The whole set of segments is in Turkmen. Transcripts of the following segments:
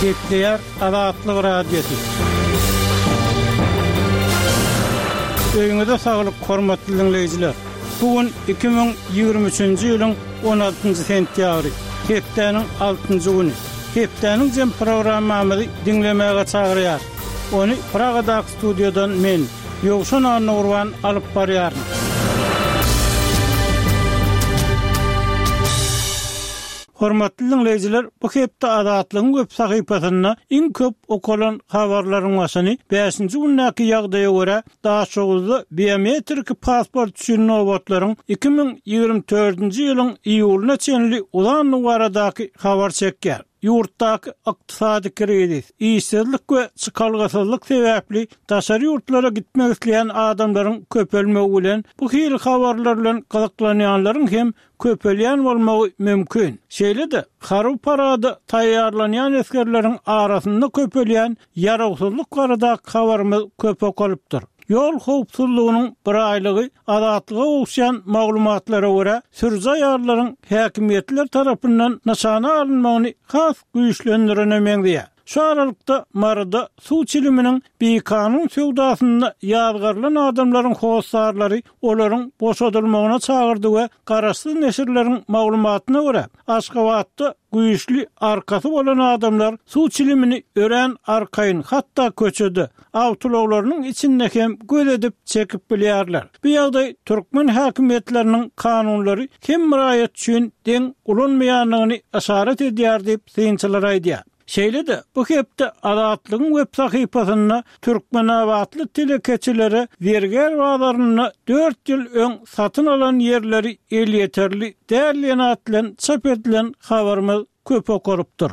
Gepleýär Azatlyk Radiosy. Öýüňize saglyk, hormatly diňleýjiler! Bu gün 2023-nji ýylyň 16-njy sentýabry, hepdäniň altynjy güni. Hepdäniň jem programmamyzy diňlemäge çagyrýarys. Ony Pragadaky studiýadan men, Ýowşan Annagurban alyp barýaryn. Hormatly diňleýjiler, bu hepde Azatlygyň web sahypasynda iň köp okalan habarlaryň başyny bäşinji gündäki ýagdaýa görä, Daşoguzda biometriki pasport üçin nobatlaryň 2024-nji ýylyň iýulyna çenli uzandygy baradaky habar çekýär. Ýurtdaky ykdysady krizis, işsizlik we çykalgasyzlyk sebäpli daşary ýurtlara gitmek isleýän adamlaryň köpelmegi bilen, bu hili habarlar bilen gyzyklanýanlaryň hem köpelýän bolmagy mümkin. Şeýle-de, harby parada taýýarlanýan esgerleriň arasynda köpelýän ýarawsyzlyk baradaky habarymyz köp okalypdyr. Ýol howpsuzlygynyň biraýlygy Azatlyga gowuşýan maglumatlara görä, sürüji aýallaryň häkimiýetler tarapyndan nyşana alynmagyny has güýçlendirene meňzeýär. Şu aralykda, Maryda suw çiliminiň bikanun söwdasynda ýazgarylan adamlaryň hossarlary olaryň boşadylmagyna çagyrdy we garaşsyz neşirleriň maglumatyna görä, Aşgabatda güýçli arkasy bolan adamlar suw çilimini örän arkaýyn, hatda köçede, awtoulaglarynyň içinde hem göz edip çekip bilýärler. Bu ýagdaý türkmen häkimiýetleriniň kanunlary hemme raýat üçin deň ulanmaýandygyny yşarat edýär diýip, synçylar aýdýar. Şeýle-de, bu hepde Azatlygyň web sahypasynda türkmenabatly telekeçilere zergär bazarynda dört ýyl öň satyn alan ýerleri elýeterli däl diýen at bilen çap edilen habarymyz köp okalypdyr.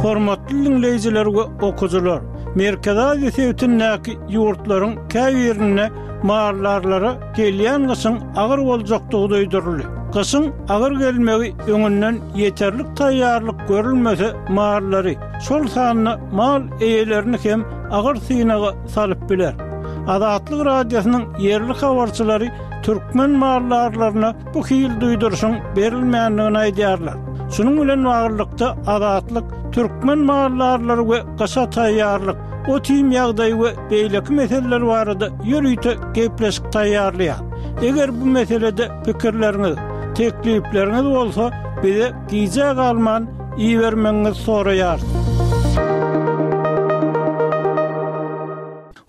Hormatly diňleýjiler we okyjylar! Merkezi Aziýa sebitindäki ýurtlaryň käbirinde maldarlara gelýän gyşyň agyr boljakdygy duýduryldy. Gyşyň agyr gelmegi öňünden ýeterlik taýýarlyk görülmese mallary, şol sanda mal eýelerini hem agyr synaga salyp biler. Azatlyk Radiosynyň ýerli habarçylary türkmen maldarlaryna bu hili duýduryşyň berilmändigini aýdýarlar. Şunuň bilen baglylykda, Azatlyk türkmen maldarlary we gyşa taýýarlyk, ot-iým ýagdaýy we beýleki meseleler barada ýörite gepleşik taýýarlaýar. Eger bu meselede pikirleriňiz, teklipleriňiz bolsa, bize gijä galman ibermegiňizi soraýarys.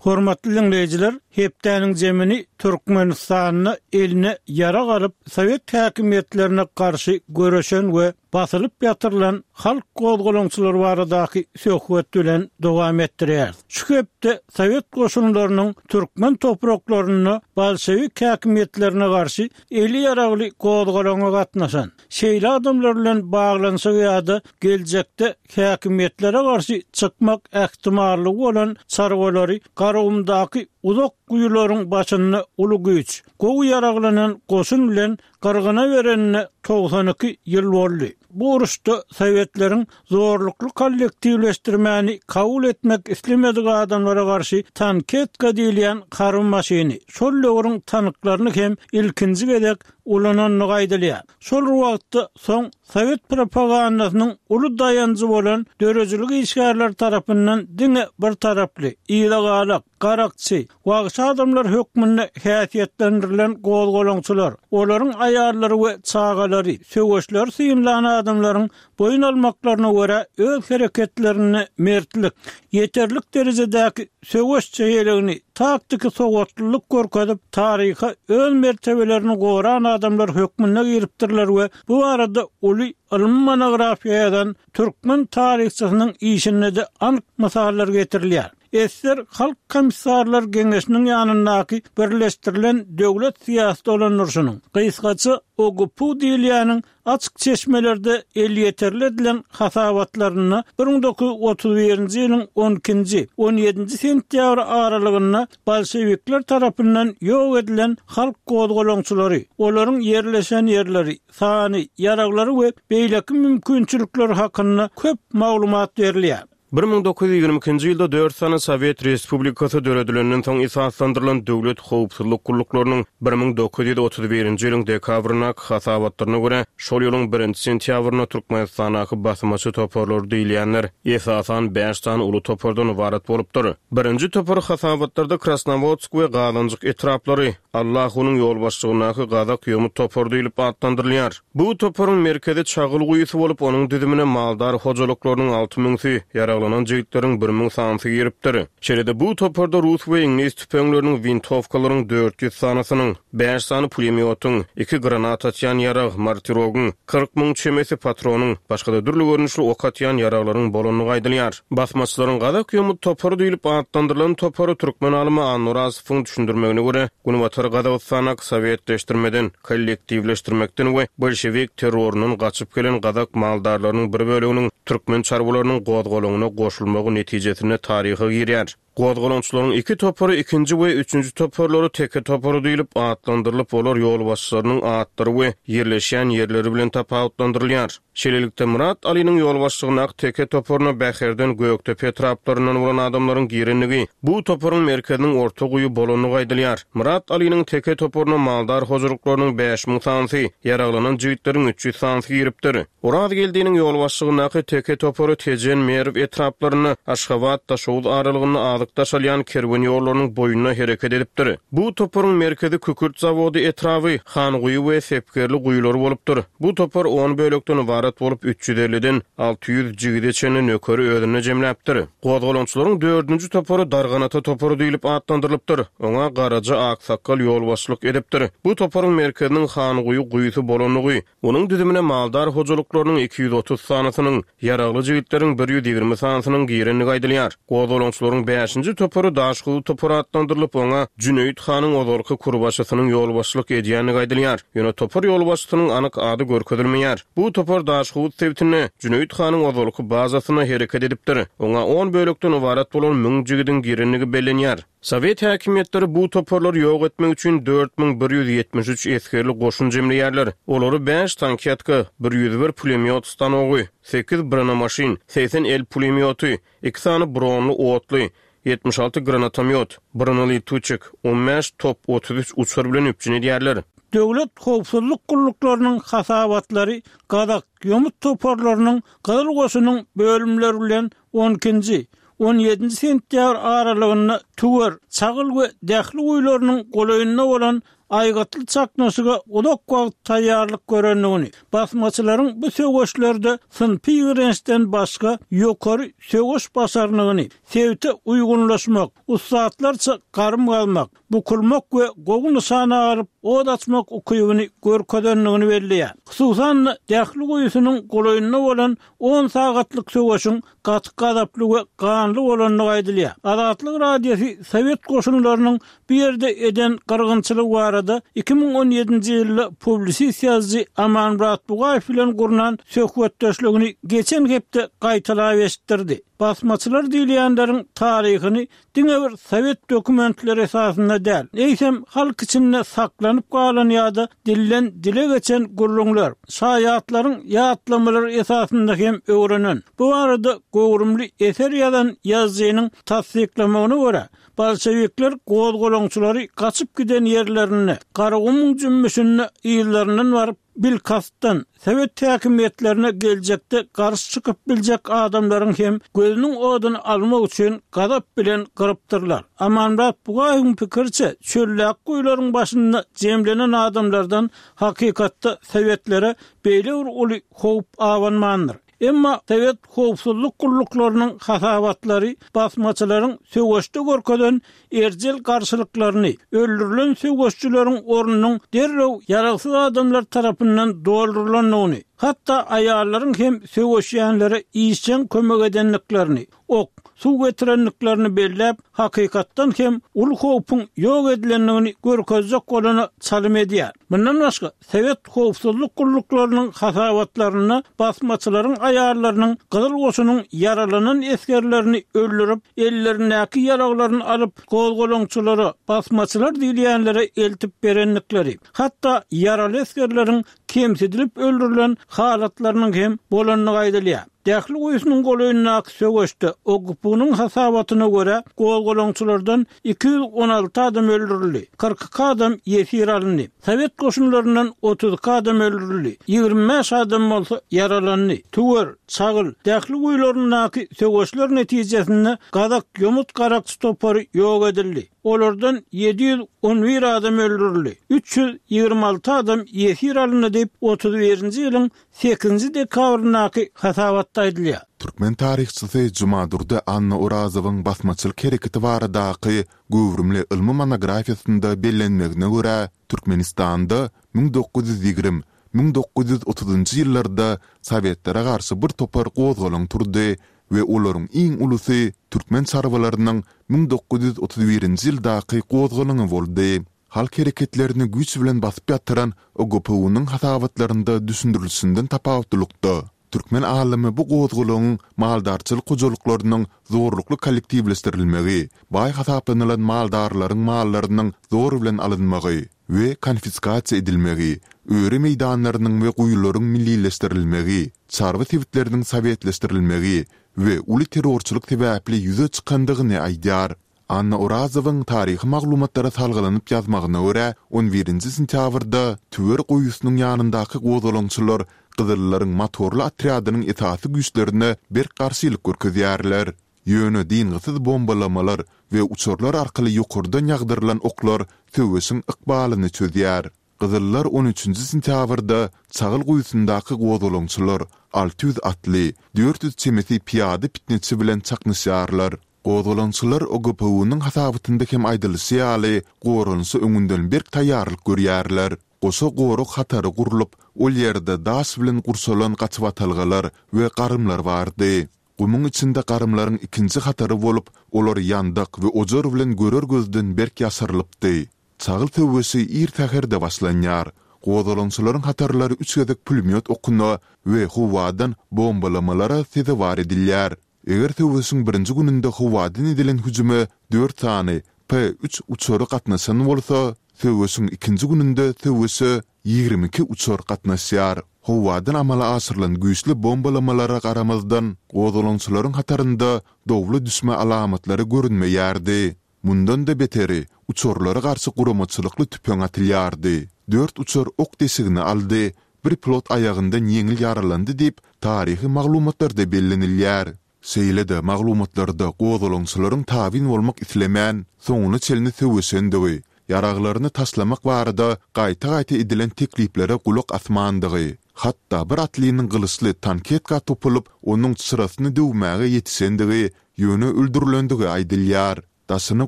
Hormatly diňleýjiler, hepdäniň jemini Türkmenistanda eline ýarag alyp, sowet häkimiýetlerine garşy göreşen we basylyp ýatyrylan halk gozgalaňçylary baradaky söhbet bilen dowam etdirýäris. Şu hepde sowet goşunlarynyň türkmen topraklarynda bolşewik häkimiýetlerine garşy eli ýaragly gozgalaňa gatnaşan, şeýle adamlar bilen baglanyşygy ýa-da geljekde häkimiýetlere garşy çykmak ähtimallygy bolan çarwalary Garagumdaky uzak guýularyň başynda uly güýç, gowy ýaraglanan goşun bilen gyrgyna berenine 92 ýyl boldy. Bu uruşda sowetleriň zorlukly kollektiwleşdirmäni kabul etmek islemedik adamlara garşy tanketka diýilýän harby maşyny, şol döwrüň tanklaryny hem ilkinji gezek ulanandygy aýdylýar. Şol bir wagtda soň sowet propagandasynyň uly daýanjy bolan döredijilik işgärleri tarapyndan diňe bir taraply, yzagalak, garakçy, wagşy adamlar hökmünde häsiýetlendirilen gozgalaňçylar, olaryň aýallary we çagalary, söweşleri synlan adamlaryň boýun almaklaryna görä öz hereketlerinde mertlik, ýeterlik derejedäki söweş çeýeligini, taktiki sowatlylyk görkezip, taryha öz mertebelerini goran adamlar hökmünde giripdirler we bu barada uly ylmy monografiýa ýazan türkmen taryhçysynyň işinde-de anyk mysallar getirilýär. Esser Halk Komissarlar Geňeşiniň ýanyndaky Birleşdirilen döwlet syýasy dolandyryşynyň, gysgaça OGPU diýilýäniň Açyk çeşmelerde elýeterli edilen hasabatlarynda 1931-nji ýylyň on ikinji, on ýedinji sentýabry aralygynda bolşewikler tarapyndan ýok edilen halk gozgalaňçylary, olaryň ýerleşen ýerleri, sany, ýaraglary we beýleki mümkinçilikleri hakynda köp maglumat berilýär. 1922-nji ýylda dört sany sowet respublikasy döredilenden soň esaslandyrylan döwlet howpsuzlyk gulluklarynyň 1931-nji ýylyň dekabryndaky hasabatlaryna görä, şol ýylyň birinji sentýabrynda Türkmenistandaky basmaçy toparlary diýilýänler esasan bäş sany uly topardan ybarat bolupdyr. Birinji topar hasabatlarda Krasnowodsk we Gazanjyk etraplary, Allahunyň ýolbaşçylygyndaky gazak ýomut topary diýlip atlandyrylýar. Bu toparyň merkezi Çagyl guýusy bolup, onuň düzümine maldar hojalyklarynyň alty müňsi, ýaraglanan jigitleriň bir müň sanysy giripdir. Şeýle-de bu toparda rus we iňlis tüpeňleriniň, wintowkalaryň 400 sanysynyň, bäş sany pulemýotyň, iki granat atýan ýarag, mortirogyň, 40 müň çemesi patronyň, başga-da dürli görnüşli ok atýan ýaraglaryň bolandygy aýdylýar. Basmaçylaryň gazak ýomut topary diýlip atlandyrylan topary türkmen alymy Annorazowyň düşündirmegine görä, Günbatar Gazagystandaky sowetleşdirmeden, kollektiwleşdirmekden we bolşewik terroryndan gaçyp gelen gazak maldarlarynyň bir böleginiň türkmen çarwalarynyň gozgalaňyna goşulmagy netijesinde taryha girýär. Gozgalaňçylaryň iki topary ikinji we üçünji toparlary teke topary diýlip atlandyrylyp, olar ýolbaşçylarynyň atlary we ýerleşýän ýerleri bilen tapawutlandyrylýar. Şeýlelikde, Myrat Alynyň ýolbaşçylygyndaky teke toparyna Bäherden, Gökdepe etraplaryndan bolan adamlaryň girendigi, bu toparyň merkeziniň Orta guýy bolandygy aýdylýar. Myrat Alynyň teke toparyna maldar hojalyklarynyň 5000 sanysy, ýaraglanan jigitleriň 300 sanysy giripdir. Orazgeldiniň ýolbaşçylygyndaky teke topary Tejen, Merw etraplarynda, Aşgabat, Daşoguz aralygynda azyk daşalýan kerwen ýollarynyň boýunda hereket edipdir. Bu toparyň merkezi Kükürt zawody etraby, Hanguýy we Sepgerli guýulary bolupdyr. Bu topar on bölekden ybarat bolup, üç ýüz elliden 600 jigide çenli nökeri özünde jemläpdir. Gozgalaňçylaryň dördünji topary Darganata topary diýlip atlandyrylypdyr. Oňa Garaja aksakgal ýolbaşçylyk edipdir. Bu toparyň merkeziniň Hanguýy guýusy bolandygy, onuň düzümine maldar hojalyklarynyň 230 sanysynyň, ýaragly jigitleriň bir 120 sanysynyň girendigi aýdylýar. Gozgalaňçylaryň bäşinji topary Daşhowuz topary atlandyrylyp, oňa Jüneýit hanyň ozalky kurbaşysynyň ýolbaşçylyk edýändigi aýdylýar. Ýöne topar ýolbaşçysynyň anyk ady görkezilmeýär. Bu topar Daşhowuz sebitinde, Jüneýit hanyň ozalky bazasynda hereket edipdir. Oňa on bölekden ybarat bolan müň jigidiň girendigi bellenýär. Sowet häkimiýetleri bu toparlary ýok etmek üçin 4173 esgerli goşun jemleýärler. Olary bäş tankýatka, bir 101 pulemýot stanogy, sekiz bronemaşyn, 80 el pulemýoty, iki sany bronly otly, 76 granatomýot, bronelituçik, on bäş top, 33 uçar bilen üpjün edýärler. Döwlet howpsuzlyk gulluklarynyň hasabatlary gazak ýomut toparlarynyň Gyzyl goşunyň bölümleri bilen on ikinji, on ýedinji sentýabr aralygynda Tüwer, Çagyl we Dähli guýularynyň golaýynda bolan aýgytly çaknyşyga uzak wagt taýýarlyk görendigini, basmaçylaryň bu söweşlerde synpy ýigrençden başga ýokary söweş başarnygyny, sebite uýgunlaşmak, ussatlarça garym gazmak, bukulmak we gowy nyşana alyp ot açmak ukybyny görkezendigini belleýär. Hususan-da, Dähli guýusynyň golaýynda bolan on sagatlyk söweşiň gaty gazaply we ganly bolandygy aýdylýar. Azatlyk Radiosy sowet goşunlarynyň bu ýerde eden gyrgynçylygy barada 2017-nji ýylda publisist ýazyjy Amanmyrat Bugaýew bilen gurnan söhbetdeşligini geçen hepde gaýtalap eşitdirdi. Basmaçylar diýilýänleriň taryhyny diňe bir sowet dokumentleri esasynda däl, eýsem, halk içinde saklanyp galan ýa-da dilden dile geçen gürrüňler, şaýatlaryň ýatlamalary esasynda hem öwrenen. Bu barada göwrümli eser ýazan ýazyjynyň tassyklamagyna görä, bolşewikler gozgalaňçylary gaçyp giden ýerlerinde, Garagumuň jümmüşinde yzlaryndan baryp, Bilkastdan, sowet häkimiýetlerine geljekde garşy çykyp biljek adamlaryň hem gözüniň oduny almak üçin gazap bilen gyrypdyrlar. Amanmyrat Bugaýewiň pikiriçe, çöldäki guýularyň başynda jemlenen adamlardan hakykatda sowetlere beýle bir uly howp abanmandyr. Emma sowet howpsuzlyk gulluklarynyň hasabatlary basmaçylaryň söweşde görkezen erjel garşylyklaryny, öldürilen söweşçileriň ornunyň derrew ýaragsyz adamlar tarapyndan doldurylandygyny, hatda aýallaryň hem söweşýänlere işjeň kömek edendiklerini, ok, suw getirendiklerini belläp, hakykatdan hem uly howpuň ýok edilendigini görkezjek bolana çalym edýär. Mundan başga, sowet howpsuzlyk gulluklarynyň hasabatlarynda basmaçylaryň aýallarynyň Gyzyl goşunyň ýaralanan esgerlerini öldürip, ellerindäki ýaraglaryny alyp, gozgalaňçylara, basmaçylar diýilýänlere eltip berendikleri, hatda ýaraly esgerleriň kemsidilip öldürilen halatlarynyň hem bolandygy aýdylýar. Dähli guýusynyň golaýyndaky söweşde, OGPU-nyň hasabatyna görä, gozgalaňçylardan 216 adam öldürildi, 42 adam ýesir alyndy. Sowet goşunlaryndan 32 adam öldürildi, 25 adam bolsa ýaralandy. Tüwer, Çagyl, Dähli guýularyndaky söweşler netijesinde gazak ýomut garakçy topary ýok edildi. Olardan 711 adam öldürildi, 326 adam ýesir alyndy diýip, otuz birinji ýylyň sekizinji dekabryndaky hasabatda aýdylýar. Türkmen taryhçysy Jumadurdy Annaorazowyň basmaçylyk hereketi baradaky göwrümli ylmy monografiýasynda bellenmegine görä, Türkmenistanda 1920, 1930-njy ýyllarda sowetlere garşy bir topar gozgalaň turdy we olaryň iň ulusy türkmen çarwalarynyň 1931-nji ýyldaky gozgalaňy boldy. Halk hereketlerini güýç bilen basyp ýatyran OGPU-nyň hasabatlarynda düşündirilişinden tapawutlylykda, türkmen alymy bu gozgalaňyň maldarçylyk hojalyklarynyň zorlukly kollektiwleşdirilmegi, baý hasaplanylan maldarlaryň mallarynyň zor bilen alynmagy we konfiskasiýa edilmegi, öri meýdanlarynyň we guýularyň millileşdirilmegi, çarwa sebitleriniň sowetleşdirilmegi we uly terrorçylyk sebäpli ýüze çykandygyny aýdýar. Anna Orazowyň taryhy maglumatlara salgylanyp ýazmagyna görä, on birinji sentýabrda Tüwer guýusynyň ýanyndaky gozgalaňçylar gyzyllaryň motorly otrýadynyň esasy güýçlerine berk garşylyk görkezýärler. Ýöne dyngysyz bombalamalar we uçarlar arkaly ýokardan ýagdyrylan oklar söweşiň ykbalyny çözýär. Gyzyllar on üçünji sentýabrda Çagyl guýusyndaky gozgalaňçylar 600 atly, 400 çemesi pyýada pitneçi bilen çaknyşýarlar. Gozgalaňçylar OGPU-nyň hasabatynda hem aýdylyşy ýaly, goranyşa öňünden berk taýýarlyk görýärler. Goşa gorag hatary gurlup, ol ýerde daş bilen gurşalan gaçybatalgalar we garymlar bardy. Gumuň içinde garymlaryň ikinji hatary bolup, olar ýandak we ojar bilen görer gözden berk ýaşyrylypdy. Çagyl söweşi ir säherde başlanýar. Gozgalaňçylaryň hatarlary üç gezek pulemýot okuna we howadan bombalamalara sezewar edilýär. Eger söweşiň birinji gününde howadan edilen hüjüme dört sany P-üç uçary gatnaşan bolsa, söweşiň ikinji gününde söweşe 22 uçar gatnaşýar. Howadan amala aşyrylan güýçli bombalamalara garamazdan, gozgalaňçylaryň hatarynda dowla düşme alamatlary görünmeýärdi. Mundan-da beteri, uçarlara garşy guramaçylykly tüpeň atylýardy. Dört uçar ok deşigini aldy, bir pilot aýagyndan ýeňil ýaralandy diýip, taryhy maglumatlarda bellenilýär. Şeýle-de maglumatlarda gozgalaňçylaryň tabyn bolmak islemän, soňuna çenli söweşendigi, ýaraglaryny taşlamak barada gaýta-gaýta edilen tekliplere gulak asmandygy, hatda bir atlynyň gylyçly tanketka topulyp, onuň çyrasyny döwmäge ýetişendigi, ýöne öldürilendigi aýdylýar. Daşyny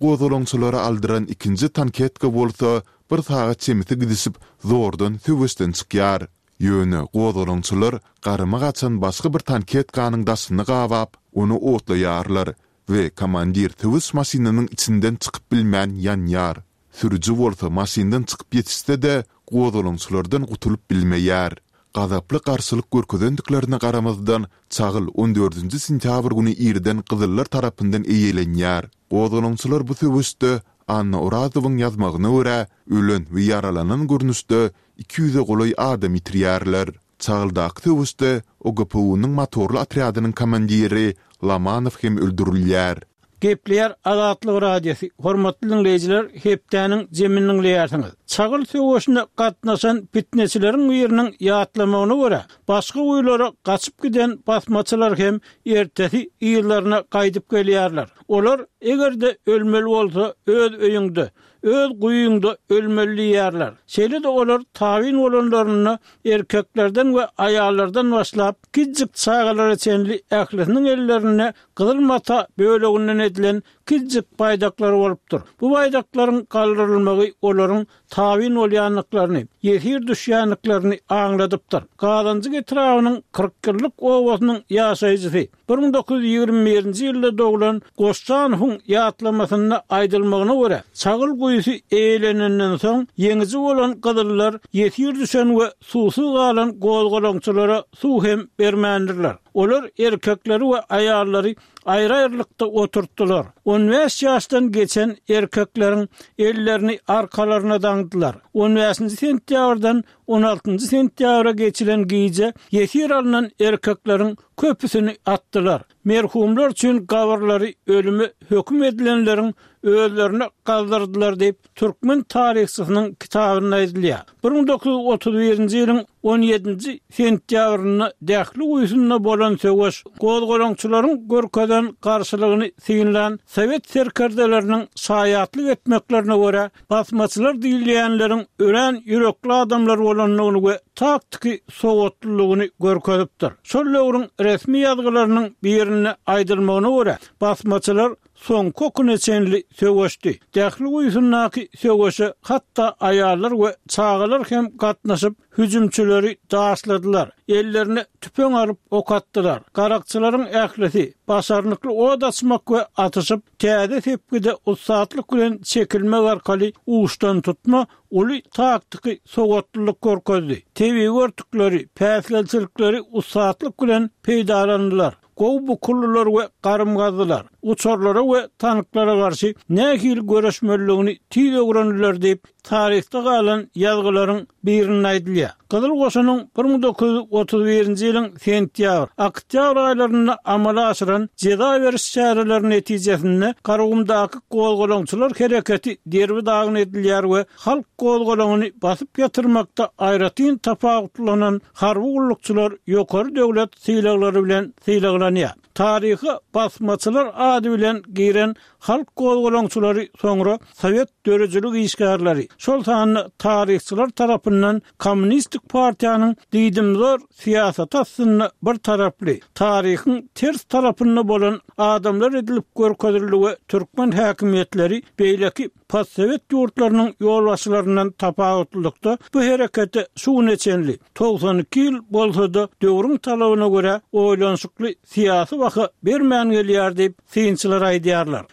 gozgalaňçylara aldyran ikinji tanketka bolsa bir sagat çemesi gidişip zordan söweşden çykýar. Ýöne gozgalaňçylar garyma gaçan başga bir tanketkanyň daşyny gabap, ony otlaýarlar we komandir söweş maşynynyň içinden çykyp bilmän ýanýar. Sürüji bolsa maşyndan çykyp ýetişse-de, gozgalaňçylardan gutulyp bilmeýär. Gazaply garşylyk görkezendiklerine garamazdan, Çagyl on dördünji sentýabr güni irden gyzyllar tarapyndan eýelenýär. Gozgalaňçylar bu söweşde, Anna Orazowyň ýazmagyna görä, ölen we ýaralanan görnüşde iki ýüze golaý adam ýitirýärler. Çagyldaky söweşde OGPU-nyň motorly otrýadynyň komandiri Lomanow hem öldürilýär. Gepleýär Azatlyk Radiosy, Hormatly diňleýjiler, hepdäniň jemini diňleýärsiňiz. Çagyl söweşine gatnaşan pitneçileriň biriniň ýatlamagyna görä, başga guýulara gaçyp giden basmaçylar hem ertesi yzlaryna gaýdyp gelýärler. Olar, eger-de ölmeli bolsa, öz öýüňde, öz guýyňda ölmeli diýýärler. Şeýle-de olar tabyn bolanlarynda erkeklerden we aýallardan başlap, kiçijik çagalara çenli ählisiniň ellerinde gyzyl mata böleginden edilen kiçijik baýdaklary bolupdyr. Bu baýdaklaryň galdyrylmagy olaryň tabyn bolýandyklaryny, ýesir düşýändiklerini aňladypdyr. Gazanjyk etrabynyň Kyrkýyllyk obasynyň ýaşaýjysy, 1921-nji ýylda doglan Goşjanowyň ýatlamasynda aýdylmagyna görä, Çagyl guýusy eýelenenden soň, ýeňiji bolan gyzyllar ýesir düşen we suwsuz galan gozgalaňçylara suw hem bermändirler. Olar erkekleri we aýallary aýry-aýrylykda oturtdylar. On bäş ýaşdan geçen erkekleriň ellerini arkalaryna daňdylar. On bäşinji sentýabrdan on altynjy sentýabra geçilen gije ýesir alnan erkekleriň köpüsini atdylar. Merhumlar üçin gabyrlary ölüme höküm edilenleriň özlerine gazdyrdylar diýip, türkmen taryhçysynyň kitabynda aýdylýar. 1931-nji ýylyň on ýedinji sentýabrynda Dähli guýusynda bolan söweş gozgalaňçylaryň görkezen garşylygyny synlan sowet serkerdeleriniň şaýatlyk etmeklerine görä, basmaçylar diýilýänleriň örän ýürekli adamlar bolandygyny we taktiki sowatlylygyny görkezipdir. Şol döwrüň resmi ýazgylarynyň birinde aýdylmagyna görä, basmaçylar soňky okuna çenli söweşdi. Dähli guýusyndaky söweşe hatda aýallar we çagalar hem gatnaşyp, hüjümçileri daşladylar, ellerine tüpeň alyp ok atdylar. Garakçylaryň ählisi başarnykly ot açmak we atyşyp, täze sepgide ussatlyk bilen çekilmek arkaly uçdantutma uly taktiki sowatlylyk görkezdi. Tebigy örtükleri, päsgelçilikleri ussatlyk bilen peýdalandylar. Gowy bukuldylar we garym gazdylar. Uçarlara we tanklara garşy nähili göreşmelidigini tiz öwrendiler diýip, taryhda galan ýazgylaryň birinde aýdylýar. Gyzyl Goşunyň 1931-nji ýylyň sentýabr, oktýabr aýlarynda amala aşyran jeza beriş çäreleri netijesinde Garagumdaky gozgalaňçylar hereketi derbi-dagyn edilýär we halk gozgalaňyny basyp ýatyrmakda aýratyn tapawutlanan harby gullukçylar ýokary döwlet sylaglary bilen sylaglanýar. Taryha basmaçylar ady bilen giren halk gozgalaňçylary soňra sowet döredijilik işgärleri, şol sanda taryhçylar tarapyndan kommunistik partiýanyň diýdimzor syýasaty astynda bir taraply, taryhyň ters tarapynda bolan adamlar edilip görkezildi we türkmen häkimiýetleri beýleki Postsowet ýurtlarynyň ýolbaşçylaryndan tapawutlylykda bu herekete şu güne çenli, 92 ýyl bolsa-da, döwrüň talabyna görä oýlanyşykly syýasy baha bermän gelýär diýip, synçylar aýdýarlar.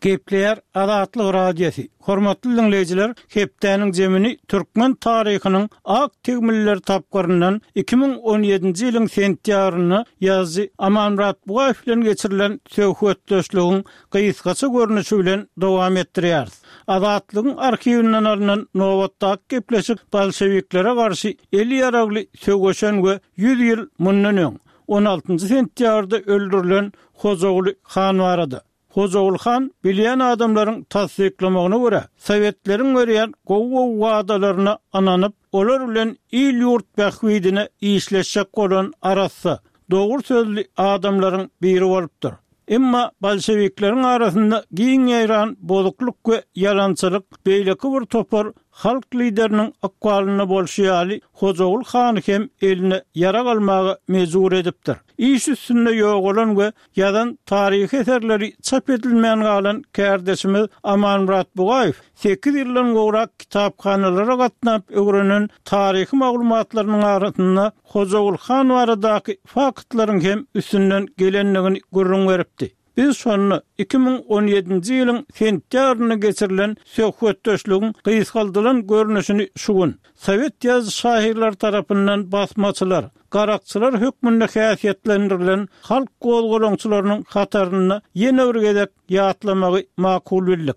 Gepleýär Azatlyk Radiosy. Hormatly diňleýjiler, hepdäniň jemini türkmen taryhynyň ak tegmiller tapgyryndan 2017-nji ýylyň sentýabrynda ýazyjy Amanmyrat Bugaýew bilen geçirilen söhbetdeşligiň gysgaça görnüşi bilen dowam etdirýäris. Azatlygyň arhiwinden alnan nobatdaky gepleşik bolşewiklere garşy eli ýaragly söweşen we ýüz ýyl mundan öň, on altynjy sentýabrda öldürilen Hojaguly han barada. Hojaguly han bilýän adamlaryň tassyklamagyna görä, sowetleriň berýän gowy-gowy wadalaryna ynanyp, olar bilen il-ýurt bähbidine işleşjek bolan arassa, dogry sözli adamlaryň biri bolupdyr. Emma bolşewikleriň arasynda giň ýaýran bozuklyk we ýalançylyk beýleki bir topar halk lideriniň ykbalynda bolşy ýaly Hojaguly hany hem eline ýarag almaga mejbur edipdir. Iş üstünde ýogalan we Ýazan taryhy eserleri çap edilmän galan kärdeşimiz Amanmyrat Bugaýew sekiz ýyldan gowrak kitaphanalara gatnap öwrenen taryhy maglumatlarynyň arasynda Hojaguly han baradaky faktlaryň hem üstünden gelendigini gürrüň beripdi. Biz şonda 2017-nji ýylyň sentýabrynda geçirilen söhbetdeşligiň gysgaldylan görnüşini şu gün, sowet ýazyjy-şahyrlary tarapyndan basmaçylar, garakçylar hökmünde häsiýetlendirilen halk gozgalaňçylarynyň hatarynda ýene bir gezek ýatlamagy makul bildik.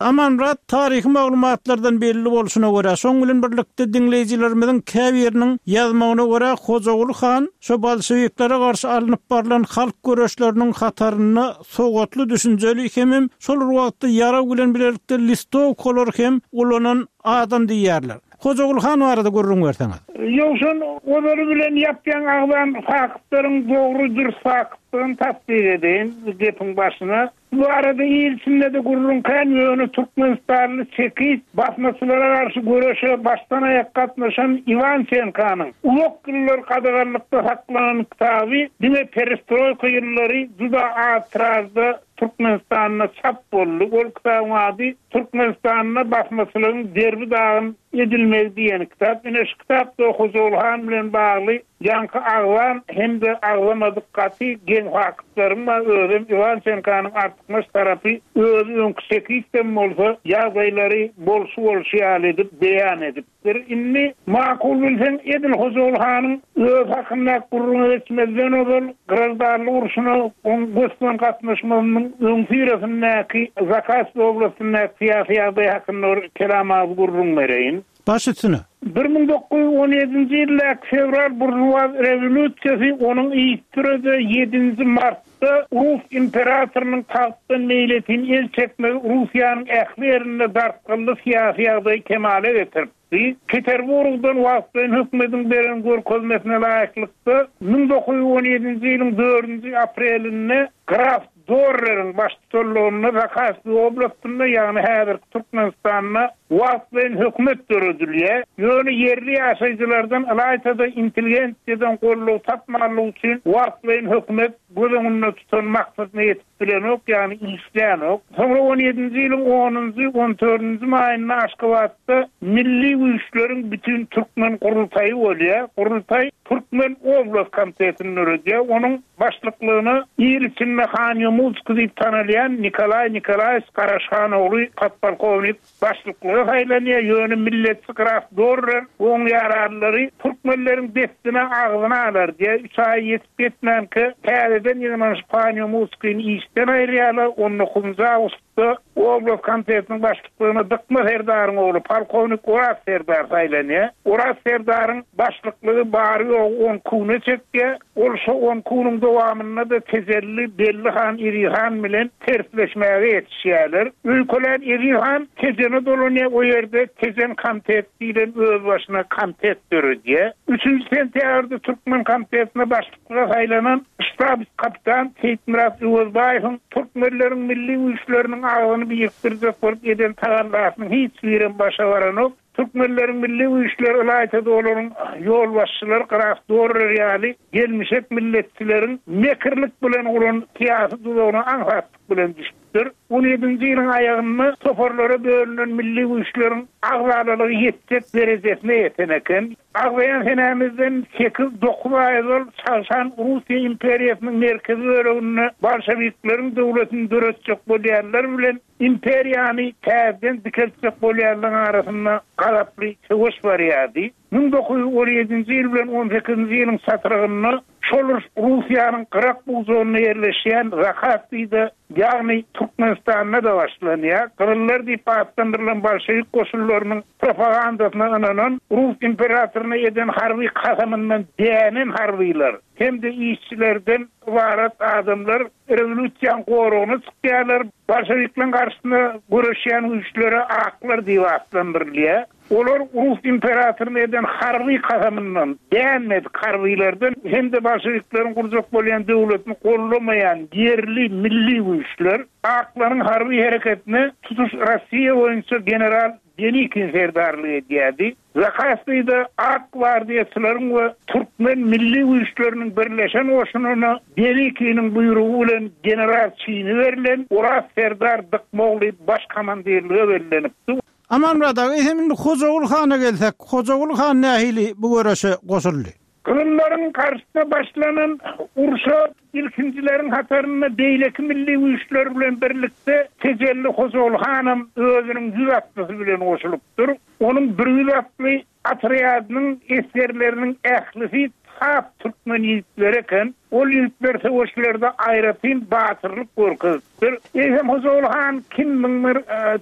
Amanmyrat, taryhy maglumatlardan belli bolşuna görä, şoň bilen birlikde diňleýjilerimiziň käbiriniň ýazmagyna görä, Hojaguly han şo bolşewiklere garşy alnyp barlan halk göreşleriniň hatarynda sowatly, düşünjeli hemem şol bir wagtda ýarag bilen bilelikde listowkalary hem ulanan adam diýýärler. Hojaguly han barada gürrüň berseňiz. Ýowşan ozaly bilen ýap-ýaňy agzan faktlaryň dogry dürs faktdygyny tassyk edeýin gepiň başyna. Bu barada il içinde-de gürrüň kän, ýöne türkmenistanly çekist basmaçylara garşy göreşe başdan-aýak gatnaşan Iwançenkanyň uzak ýyllar gadaganlykda saklanan kitaby diňe perestroýka ýyllary juda az tiražda Türkmenistanda çap boldy. Ol kitabyň ady Türkmenistanda basmaçylygyň derbi-dagyn. edilmegi diýen kitap. Ine şu kitapda Hojaguly han bilen bagly ýaňky agzan hem-de agzamadyk gaty geň faktlaryň bar. Özem Iwançenkanyň artykmaç tarapy özi öňki çekistem bolsa ýagdaýlary bolşy-bolşy ýaly edip beýan edip. Bir indi makul bilseň edil Hojaguly hanyň özi hakyndaky gürrüňe geçmezden ozal graždanlyk urşuna oň gös-göni gatnaşmazynyň öňüsyrasyndaky Zakaspi oblastyndaky syýasy ýagdaý hakynda bir kelam agyz gürrüň bereýin. Baş üstüne. 1917-nji ýyldaky fewral buržuaz rewolýusiýasy onuň yzysüre-de ýedinji martda rus imperatorynyň tagtdan meýletin el çekmegi Russiýanyň ähli ýerinde dartgynly syýasy ýagdaýy kemala getiripdi. Peterburgdan wagtlaýyn hökümediň beren görkezmesine laýyklykda, 1917-nji ýylyň dördünji aprelinde graf Dorreriň baştutanlygynda Zakaspi oblastynda, ýagny häzirki Türkmenistanda wagtlaýyn hökümet döredilýär. Ýöne ýerli ýaşaýjylardan, ylaýta-da intelligensiýadan goldaw tapmanlygy üçin wagtlaýyn hökümet göz öňünde tutan maksadyna ýetip bilenok, ýagny işlänok. Soňra on ýedinji ýylyň onunjy, on dördünji maýynda Aşgabatda Milli güýçleriň bütin türkmen gurultaýy bolýar. Gurultaý Türkmen oblast komitetini döredýär. Onuň Başlyklygyna il içinde Han Ýomutskiý diýip tanalýan Nikolaý Nikolaýewiç Garaşhan ogly podpolkownik başlyklyga saýlanýar, ýöne milletçi graf Dorrer we oň ýaranlary türkmenleriň dessine agzyny alar diýýär. Üç aý ýetip-ýetmänkä täzeden ýygnanyşyp Han Ýomutskini işden aýyrýarlar, on dokuzynjy awgustda. Da oblast komitetiniň başlyklygyna Dykma serdaryň ogly polkownik Oraz serdar saýlanýar. Oraz serdaryň başlyklygy bary-ýogy on kune çekýär. Ol şo on kunuň dowamynda-da Tejelli Belli han Eziz han bilen tersleşmäge ýetişýärler. Öýkelän Eziz han Tejene dolanýar, o ýerde Tejen komitet diýlen özbaşyna komitet döredýär. Üçünji sentýabrda türkmen komitetine başlyk Başlyklyga saýlanan ştabs-kapitan Seýitmyrat Öwezbaýewiň türkmenleriň milli güýçleriniň agzyny birikdirjek bolup eden tagallasynyň hiç birem başa baranok. Türkmenleriň milli güýçleri, ylaýta-da olaryň ýolbaşçylary graf Dorrer ýaly gelmişek milletçileriň mekirlik bilen guran syýasy duzagyna aňsatlyk bilen düşüpdir. On ýedinji ýylyň aýagynda toparlara bölünen milli güýçleriň agzalalygy ýetjek derejesine ýeten eken. Agzaýan senämizden sekiz-dokuz aý ozal çagşan Russiýa imperiýasynyň merkezi böleginde bolşewikleriň döwletini döretjek bolýanlar bilen imperiýany täzeden dikeltjek bolýanlaryň arasynda gazaply söweş barýardy. 1917-nji ýyl bilen on sekizinji ýylyň çatrygynda şol uruş Russiýanyň gyrak bujagynda ýerleşýän Zakaspide, ýagny Türkmenistanda-da başlanýar. Gyzyllar diýip atlandyrylan bolşewik goşunlarynyň propagandasyna ynanan, rus imperatoryna eden harby kasamyndan dänen harbylar hem-de işçilerden ybarat adamlar rewolýusiýanyň goragyna çykýarlar. Bolşewikleriň garşysyna göreşýän güýçlere aklar diýip atlandyrylýar. Olar rus imperatoryna eden harby kasamyndan dänmedik harbylardan hem-de bolşewikleriň gurjak bolýan döwletini goldamaýan ýerli milli güýçler aklaryň harby hereketine tutuş Rossiýa boýunça general Denikin serdarlyk edýärdi. Zakaspide ak gwardiýaçylaryň we türkmen milli güýçleriniň birleşen goşunyna Denikiniň buýrugy bilen general çini berlen Oraz serdar Dykmogly baş komandirlige bellenipdi. Amanmyrat aga, eýsem indi Hojaguly hana gelsek, Hojaguly han nähili bu göreşe goşuldy? Gyzyllaryň garşysyna başlanan urşa ilkinjileriň hatarynda beýleki milli güýçler bilen birlikde Tejelli Hojaguly hanam özüniň ýüz atlysy bilen goşulypdyr. Onuň bir ýüz atly otrýadynyň esgerleriniň ählisi sap türkmen ýigitleri eken. Ol ýigitler söweşlerde aýratyn batyrlyk görkezipdir. Eýsem Hojaguly han kimmiň bir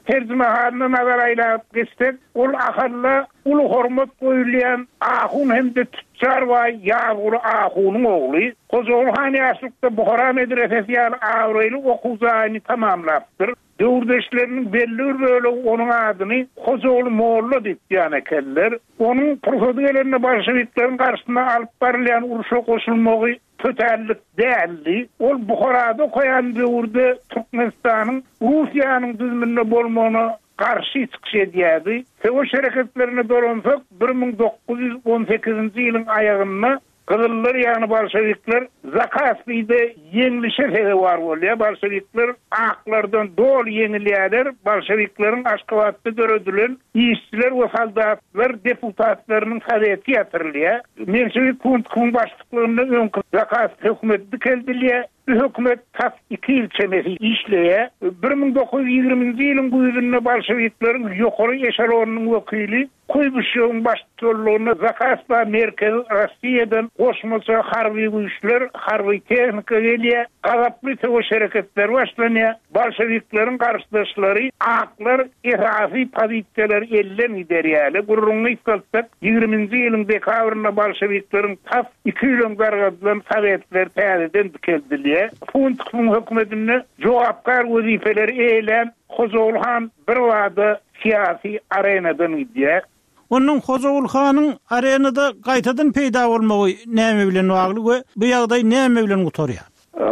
terjimehalyna nazar aýlap geçsek, ol Ahalda uly hormat goýulýan ahun hem-de tüçjar baý Ýazguly ahunyň ogly. Hojaguly han ýaşlykda Buhara medresesi ýaly abraýly okuw jaýyny tamamlapdyr. Döwürdeşleriniň belli bir bölegi onuň adyny Hojaguly molla diýip ýan ekenler. Onuň pursady gelende bolşewikleriň garşysyna alyp barylýan urşa goşulmagy tötänlik däldi. Ol Buharada okaýan döwürde Türkmenistanyň Russiýanyň düzüminde bolmagyna garşy çykyş edýärdi. Söweş hereketlerine dolansak, 1918-nji ýylyň aýagynda. Gyzyllar, ýagny bolşewikler Zakaspide ýeňlişe sezewar bolýar. Bolşewikler aklardan doly ýeňilýärler. Bolşewikleriň Aşgabatda döredilen işçiler we soldatlar deputatlarynyň soweti ýatyrylýar. Menşewik Kuntkowyň başlyklygynda öňki Zakaspi hökümeti dikeldilýär. Bu hökümet tas iki ýyl çemesi işleýär. 1920-nji ýylyň güýzünde bolşewikleriň ýokary eşelonynyň wekili Kuýbyşewiň baştutanlygynda Zakaspa Merkezi Rossiýadan goşmaça harby güýçler, harby tehnika gelýär, gazaply söweş hereketleri başlanýar. Bolşewikleriň garşydaşlary aklar esasy pozisiýalary elden giderýärler. Gürrüňi gysgaltsak, ýigriminji ýylyň dekabrynda bolşewikleriň tas iki ýyl öň dargadylan sowetleri täzeden dikeldilýär. Funtowyň hökümetinde jogapkär wezipeleri eýelän Hojaguly han birbada syýasy arenadan gidýär. Onuň Hojaguly hanyň arenada gaýtadan peýda bolmagy näme bilen bagly we bu ýagdaý näme bilen gutarýar?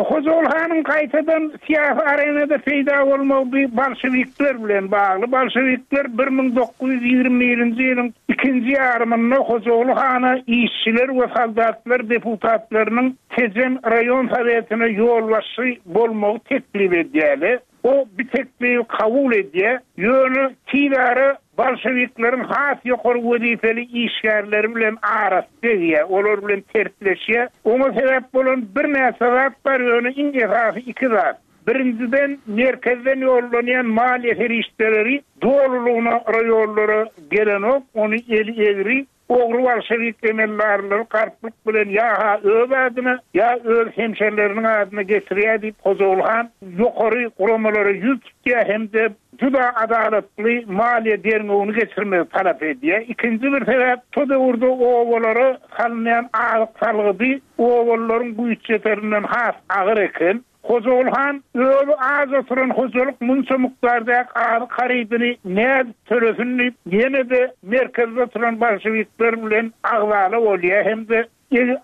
Hojaguly hanyň gaýtadan syýasy arenada peýda bolmagy bu bolşewikler bilen bagly. Bolşewikler 1921-nji ýylyň ikinji ýarymynda Hojaguly hana işçiler we soldatlar deputatlarynyň Tejen raýon sowetine ýolbaşçy bolmagy teklip edýärler. O bu teklibi kabul edýär, ýöne tizara bolşewikleriň has ýokary wezipeli işgärleri bilen arasy degýär, olar bilen tersleşýär. Oňa sebäp bolan birnäçe zat bar, ýöne iň esasy iki zat. Birinjiden, merkezden ýollanýan maliýe serişdeleri dolulygyna raýonlara gelenok, ony eli egri Ogry bolşewik emeldarlary galplyk bilen ýa-ha öz adyna, ýa öz hemşerileriniň adyna geçirýär diýip, Hojaguly han ýokary guramalara ýüz tutýar hem-de juda adalatly maliýe derňewini geçirmegi talap edýär. Ikinji bir sebäp, şo döwürde obalara salynýan azyk salgydy obalylaryň güýç ýeterinden has agyr eken. Hojaguly han özi aç oturan hojalyk munça mukdardaky azyk harydyny nädip tölesin diýip, ýene-de merkezde oturan bolşewikler bilen agzala bolýar hem-de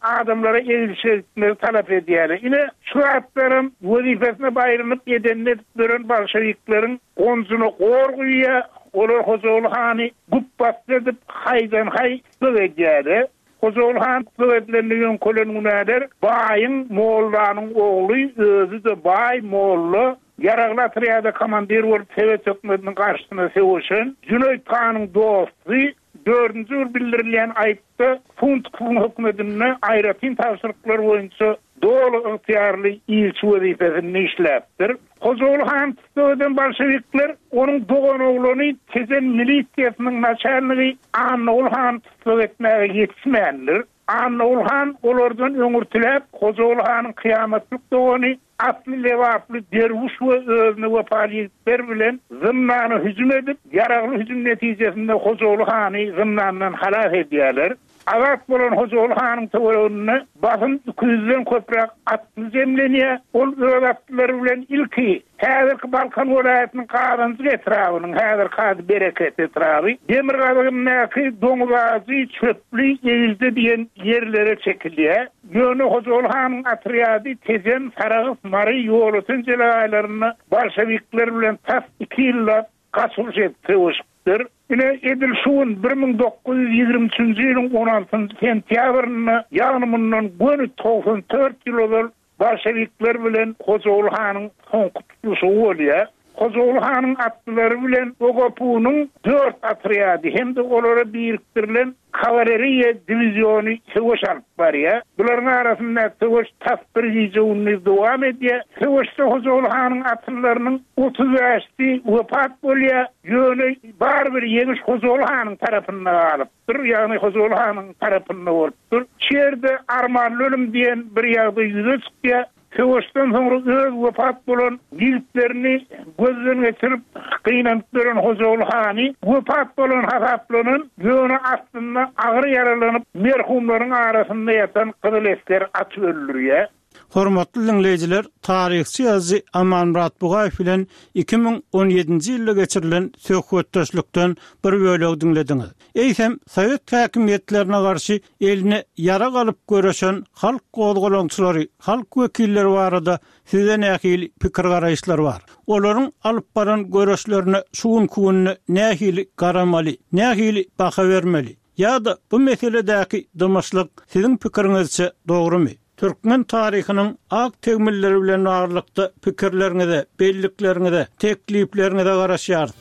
adamlara egilşik etmegi talap edýärler. Ine, şu zatlaram wezipesine baýrynyp edenini edip ýören bolşewikleriň gonjuna gor guýýar, olar Hojaguly hany güpbasdy edip, haýdan-haý gyk edýärler. Hojaguly han tussag edilende ýöňkelen günäler baýyň, mollanyň ogly, özi-de baý, molla, ýaragly otrýada komandir bolup sowet hökümetiniň garşysyna söweşen, Jüneýit hanyň dosty, dördünji bir bildirilýän aýypda Funtkowyň hökümetinde aýratyn tabşyryklar boýunça doly ygtyýarly ilçi wezipesinde işläpdir. Hojaguly hany tussag eden bolşewikler onuň doganoglany Tejen milisiýasynyň naçalnigi Annaguly hany tussag etmäge ýetişmändir. Annaguly han olardan öňürtiläp, Hojaguly hanyň kyýamatlyk dogany, asly lebaply derwüş we özüne wepaly ýigitler bilen zyndana hüjüm edip, ýaragly hüjüm netijesinde Hojaguly hany zyndandan halas edýärler. Azat bolan Hojaguly hanyň töwereginde basym iki ýüzden köpräk atly jemlenýär. Ol öz atlylary bilen ilki häzirki Balkan welaýatynyň Gazanjyk etrabynyň, häzirki ady Bereket etraby, demirgazygyndaky Doňuzajy, Çöpli, Egilje diýen ýerlere çekilýär. Ýöne Hojaguly hanyň otrýady Tejen, Sarahs, Mary, Ýolöten jelegaýlarynda bolşewikler bilen tas iki ýyllap gaçylyş edip söweşipdir. Ine, edil şu gün, 1923-nji ýylyň on altynjy sentýabrynda, ýagny mundan göni 94 ýyl ozal bolşewikler bilen Hojaguly hanyň soňky tutluşygy bolýar. Hojaguly hanyň atlylary bilen OGPU-nyň dört otrýady hem-de olara birikdirilen Kawaleriýa diwiziony söweş alyp barýar. Bularyň arasyndaky söweş tas bir gije-gündiz dowam edýär. Söweşde Hojaguly hanyň atlylarynyň 35-si wepat bolýar. Ýöne barybir ýeňiş Hojaguly hanyň tarapynda galypdyr, ýagny Hojaguly hanyň tarapynda bolupdyr. Şu ýerde armanly ölüm diýen bir ýagdaý ýüze çykýar. Söweşden soňra öz wepat bolan ýigitlerini gözden geçirip, gynanyp ýören Hojaguly hany wepat bolan hasaplanan, ýöne aslynda agyr ýaralanyp, merhumlaryň arasynda ýatan gyzyl esgeri atyp öldürýär. Hormatly diňleýjiler, taryhçy ýazyjy Amanmyrat Bugaýew bilen 2017-nji ýylda geçirilen söhbetdeşlikden bir bölegi diňlediňiz. Eýsem, sowet häkimiýetlerine garşy eline ýarag alyp göreşen halk gozgalaňçylary, halk wekilleri barada sizde nähili pikir-garaýyşlar bar? Olaryň alyp baran göreşlerine şu günki günde nähili garamaly, nähili baha bermeli? Ýa-da bu meseledäki dymyşlyk siziň pikiriňizçe dogrumy? Türkmen taryhynyň ak tegmilleri bilen baglylykda pikirleriňize, bellikleriňize, teklipleriňize garaşýarys.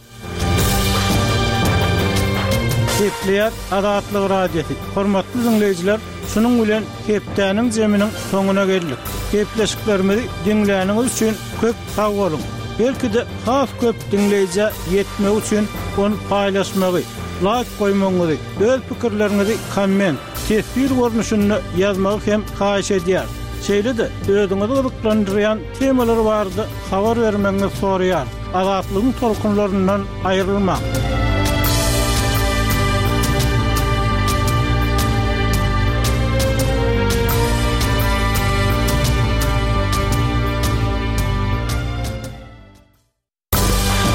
Gepleýär Azatlyk Radiosy. Hormatly diňleýjiler, şunuň bilen hepdäniň jeminiň soňuna geldik. Gepleşiklerimizi diňläniňiz üçin köp sag boluň! Belki-de has köp diňleýjä ýetmegi üçin ony paýlaşmagy, laýk goýmagyňyzy, öz pikirleriňizi komment, teswir görnüşinde ýazmagy hem haýyş edýäris. Şeýle-de özüňizi gyzyklandyrýan temalar barada habar bermegiňizi soraýarys. Azatlygyň tolkunlaryndan aýrylmaň!